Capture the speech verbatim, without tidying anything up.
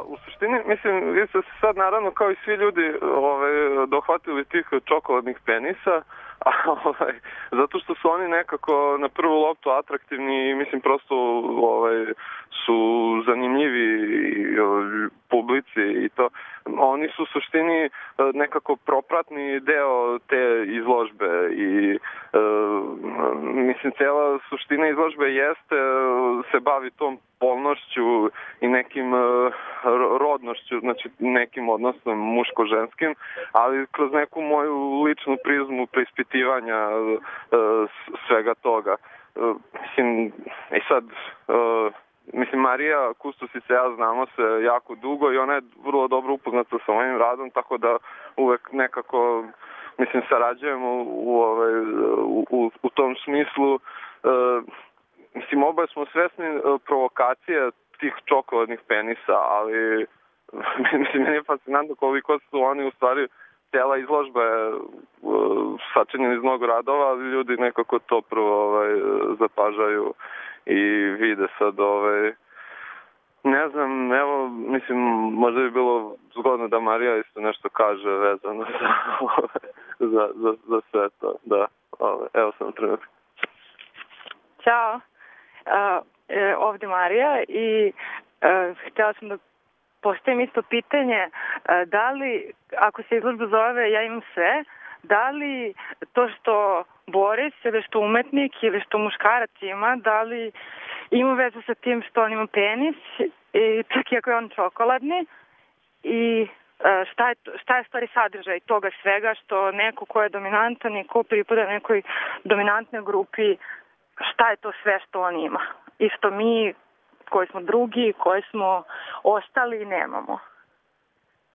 Pa u suštini, mislim, vi ste se sad naravno kao i svi ljudi ovaj, dohvatili tih čokoladnih penisa, a, ovaj, zato što su oni nekako na prvu loptu atraktivni i mislim prosto ovaj, su zanimljivi ovaj, publici i to. Oni su u suštini nekako propratni deo te izložbe i e, mislim, cela suština izložbe jeste, se bavi tom polnošću i nekim uh, rodnošću, znači nekim odnosom muško-ženskim, ali kroz neku moju ličnu prizmu preispitivanja uh, svega toga. Uh, mislim, i sad, uh, mislim, Marija Kustos i ja znamo se jako dugo i ona je vrlo dobro upoznata sa mojim radom, tako da uvek nekako, mislim, sarađujemo u, ovaj, u, u, u tom smislu. Uh, Mislim, oboje smo svesni provokacije tih čokoladnih penisa, ali mislim, meni je fascinantno koliko su oni u stvari, cijela izložba je sačinjena iz mnogo radova, ali ljudi nekako to prvo ovaj, zapažaju i vide sad, ovaj, ne znam, evo, mislim, možda bi bilo zgodno da Marija isto nešto kaže vezano za, za, za, za sve to, da, ovaj, evo sam trenutak. Ćao. Uh, e, ovdje Marija i uh, htjela sam da postavim isto pitanje, uh, da li, ako se izložba zove Ja imam sve, da li to što Boris ili što umetnik ili što muškarac ima, da li ima vezu sa tim što on ima penis i čak i ako je on čokoladni i uh, šta je, šta je stvari sadržaj toga svega što neko ko je dominantan i ko pripada nekoj dominantnoj grupi, šta je to sve što on ima i što mi koji smo drugi, koji smo ostali, nemamo.